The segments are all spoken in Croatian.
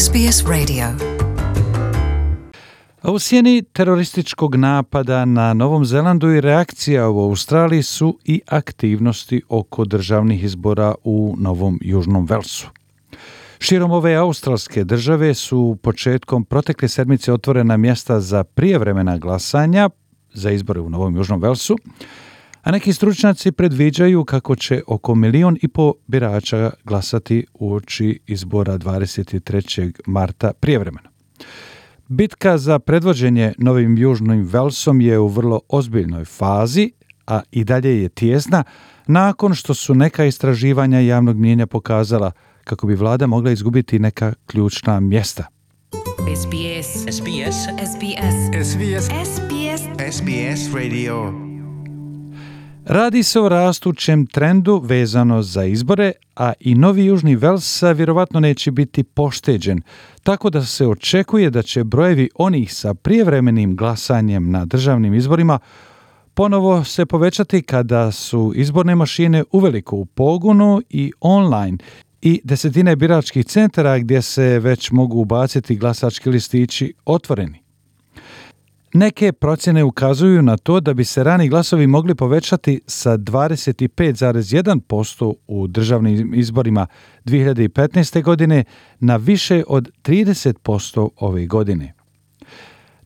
SBS Radio. A u sjeni terorističkog napada na Novom Zelandu i reakcija u Australiji su i aktivnosti oko državnih izbora u Novom Južnom Velsu. Širom ove australske države su početkom protekle sedmice otvorena mjesta za prijevremena glasanja za izbore u Novom Južnom Velsu, a neki stručnjaci predviđaju kako će oko 1,5 milijuna birača glasati uoči izbora 23. marta prijevremeno. Bitka za predvođenje Novim Južnim Velsom je u vrlo ozbiljnoj fazi, a i dalje je tijesna, nakon što su neka istraživanja javnog mnijenja pokazala kako bi vlada mogla izgubiti neka ključna mjesta. SBS Radio. Radi se o rastućem trendu vezano za izbore, a i Novi Južni Vels vjerovatno neće biti pošteđen, tako da se očekuje da će brojevi onih sa prijevremenim glasanjem na državnim izborima ponovo se povećati kada su izborne mašine uveliko u pogonu i online i desetine biračkih centara gdje se već mogu ubaciti glasački listići otvoreni. Neke procjene ukazuju na to da bi se rani glasovi mogli povećati sa 25,1% u državnim izborima 2015. godine na više od 30% ove godine.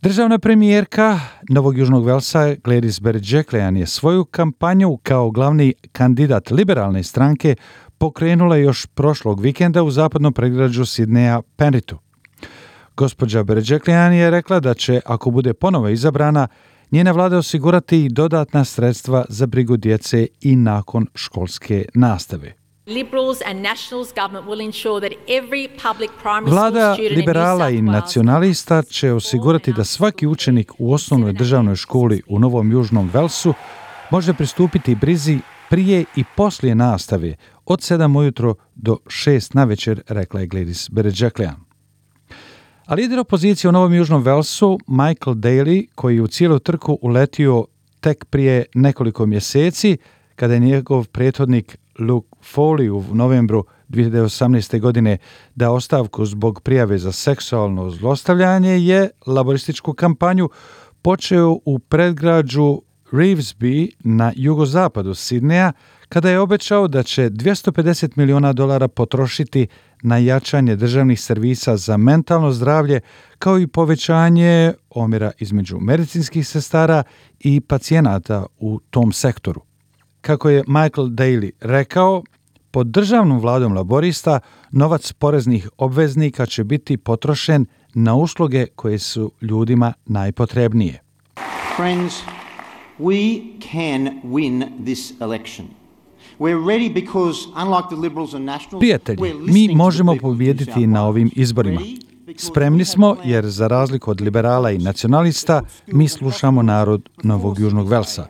Državna premijerka Novog Južnog Velsa Gladys Berejiklian je svoju kampanju kao glavni kandidat liberalne stranke pokrenula još prošlog vikenda u zapadnom predgrađu Sidneja Penritu. Gospođa Berejiklian je rekla da će, ako bude ponovo izabrana, njena vlada osigurati dodatna sredstva za brigu djece i nakon školske nastave. Vlada liberala i nacionalista će osigurati da svaki učenik u osnovnoj državnoj školi u Novom Južnom Velsu može pristupiti brizi prije i poslije nastave od 7 ujutro do 6 navečer, rekla je Gladys Berejiklian. A lider opozicije u Novom Južnom Velsu, Michael Daly, koji je u cijelu trku uletio tek prije nekoliko mjeseci, kada je njegov prethodnik Luke Foley u novembru 2018. godine dao ostavku zbog prijave za seksualno zlostavljanje, je laborističku kampanju počeo u predgrađu Revesby na jugozapadu Sidneja, kada je obećao da će $250 milijuna potrošiti na jačanje državnih servisa za mentalno zdravlje, kao i povećanje omjera između medicinskih sestara i pacijenata u tom sektoru. Kako je Michael Daly rekao, pod državnom vladom laborista novac poreznih obveznika će biti potrošen na usluge koje su ljudima najpotrebnije. Friends, we can win this election. Prijatelji, mi možemo pobijediti na ovim izborima. Spremni smo jer, za razliku od liberala i nacionalista, mi slušamo narod Novog Južnog Velsa.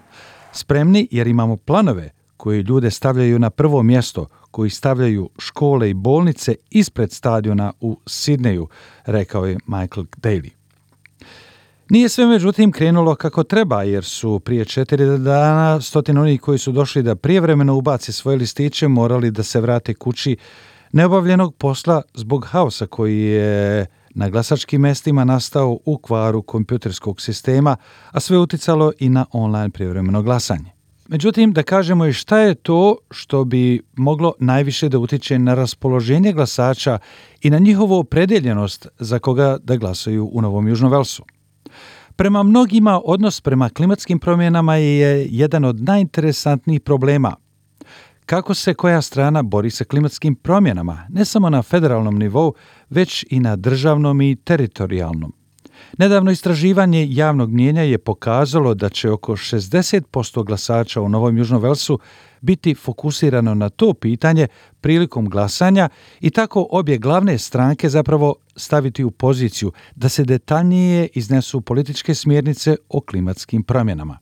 Spremni jer imamo planove koji ljude stavljaju na prvo mjesto, koji stavljaju škole i bolnice ispred stadiona u Sidneju, rekao je Michael Daly. Nije sve međutim krenulo kako treba, jer su prije 4 dana stotine onih koji su došli da prijevremeno ubaci svoje listiće morali da se vrate kući neobavljenog posla zbog haosa koji je na glasačkim mjestima nastao u kvaru kompjuterskog sistema, a sve uticalo i na online prijevremeno glasanje. Međutim, da kažemo i šta je to što bi moglo najviše da utiče na raspoloženje glasača i na njihovu opredjeljenost za koga da glasaju u Novom Južnom Velsu. Prema mnogima, odnos prema klimatskim promjenama je jedan od najinteresantnijih problema. Kako se koja strana bori sa klimatskim promjenama, ne samo na federalnom nivou, već i na državnom i teritorijalnom. Nedavno istraživanje javnog mnijenja je pokazalo da će oko 60% glasača u Novom Južnom Velsu biti fokusirano na to pitanje prilikom glasanja i tako obje glavne stranke zapravo staviti u poziciju da se detaljnije iznesu političke smjernice o klimatskim promjenama.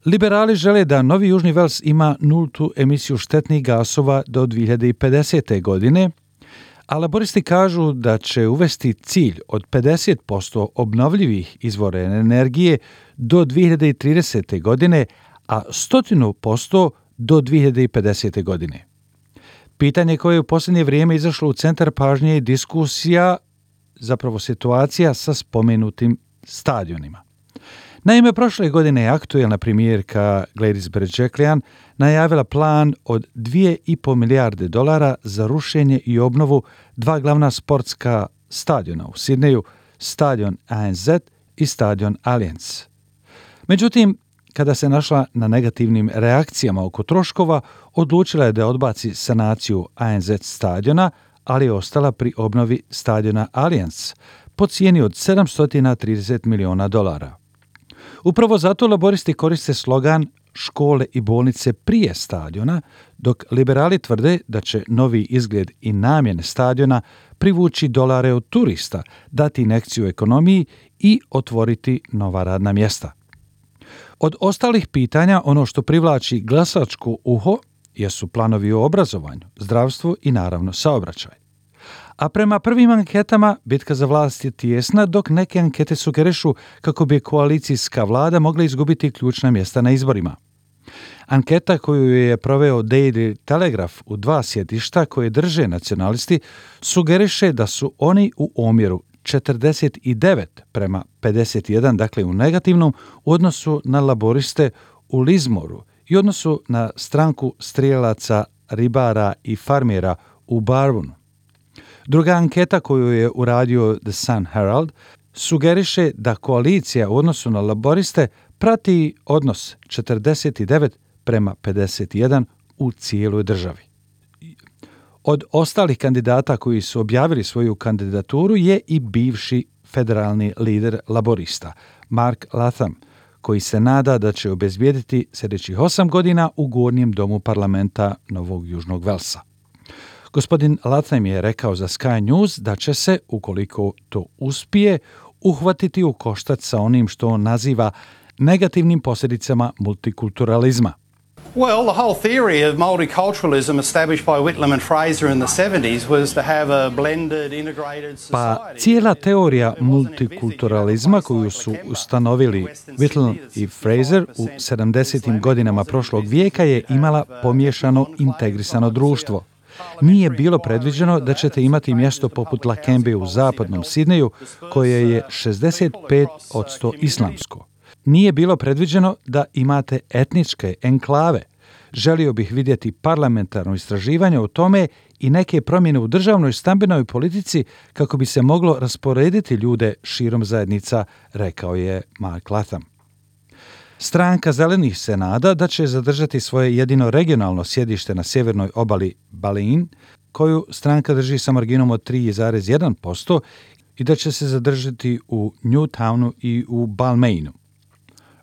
Liberali žele da Novi Južni Vels ima nultu emisiju štetnih gasova do 2050. godine, a laboristi kažu da će uvesti cilj od 50% obnovljivih izvora energije do 2030. godine, a 100% do 2050. godine. Pitanje koje je u posljednje vrijeme izašlo u centar pažnje je diskusija, zapravo situacija sa spomenutim stadionima. Naime, prošle godine je aktuelna premijerka Gladys Berejiklian najavila plan od $2,5 milijarde za rušenje i obnovu dva glavna sportska stadiona u Sidneju, stadion ANZ i stadion Allianz. Međutim, kada se našla na negativnim reakcijama oko troškova, odlučila je da odbaci sanaciju ANZ stadiona, ali je ostala pri obnovi stadiona Allianz po cijeni od $730 miliona. Upravo zato laboristi koriste slogan škole i bolnice prije stadiona, dok liberali tvrde da će novi izgled i namjene stadiona privući dolare od turista, dati injekciju ekonomiji i otvoriti nova radna mjesta. Od ostalih pitanja, ono što privlači glasačko uho jesu planovi o obrazovanju, zdravstvu i naravno saobraćaj. A prema prvim anketama bitka za vlast je tijesna, dok neke ankete sugerišu kako bi koalicijska vlada mogla izgubiti ključna mjesta na izborima. Anketa koju je proveo Daily Telegraph u 2 sjedišta koje drže nacionalisti sugeriše da su oni u omjeru 49:51, dakle u negativnom, u odnosu na laboriste u Lismoru i odnosu na stranku strijelaca, ribara i farmera u Barbunu. Druga anketa koju je uradio The Sun Herald sugeriše da koalicija u odnosu na laboriste prati odnos 49:51 u cijeloj državi. Od ostalih kandidata koji su objavili svoju kandidaturu je i bivši federalni lider laborista, Mark Latham, koji se nada da će obezbijediti sljedećih 8 godina u gornjem domu parlamenta Novog Južnog Velsa. Gospodin Latham je rekao za Sky News da će se, ukoliko to uspije, uhvatiti u koštac sa onim što on naziva negativnim posljedicama multikulturalizma. Well, the whole theory of multiculturalism established by Whitlam and Fraser in the 70s was to have a blended, integrated society. Pa cijela teorija multikulturalizma koju su ustanovili Whitlam i Fraser u 70. godinama prošlog vijeka je imala pomiješano integrisano društvo. Nije bilo predviđeno da ćete imati mjesto poput Lakembe u zapadnom Sidneju, koje je 65% islamsko. Nije bilo predviđeno da imate etničke enklave. Želio bih vidjeti parlamentarno istraživanje o tome i neke promjene u državnoj stambenoj politici kako bi se moglo rasporediti ljude širom zajednica, rekao je Mark Latham. Stranka zelenih se nada da će zadržati svoje jedino regionalno sjedište na sjevernoj obali Balin, koju stranka drži sa marginom od 3,1% i da će se zadržati u Newtownu i u Balmainu.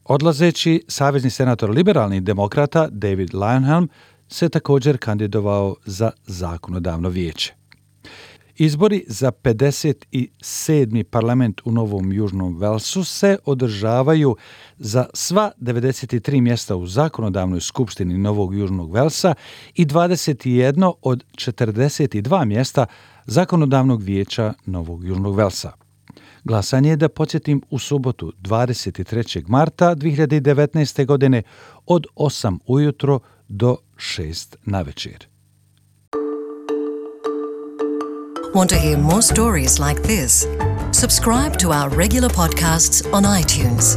Odlazeći, savezni senator liberalnih demokrata David Leyonhjelm se također kandidovao za zakonodavno vijeće. Izbori za 57. parlament u Novom Južnom Velsu se održavaju za sva 93 mjesta u zakonodavnoj skupštini Novog Južnog Velsa i 21 od 42 mjesta zakonodavnog vijeća Novog Južnog Velsa. Glasanje je, da podsjetim, u subotu 23. marta 2019. godine od 8 ujutro do 6 navečer. Want to hear more stories like this? Subscribe to our regular podcasts on iTunes.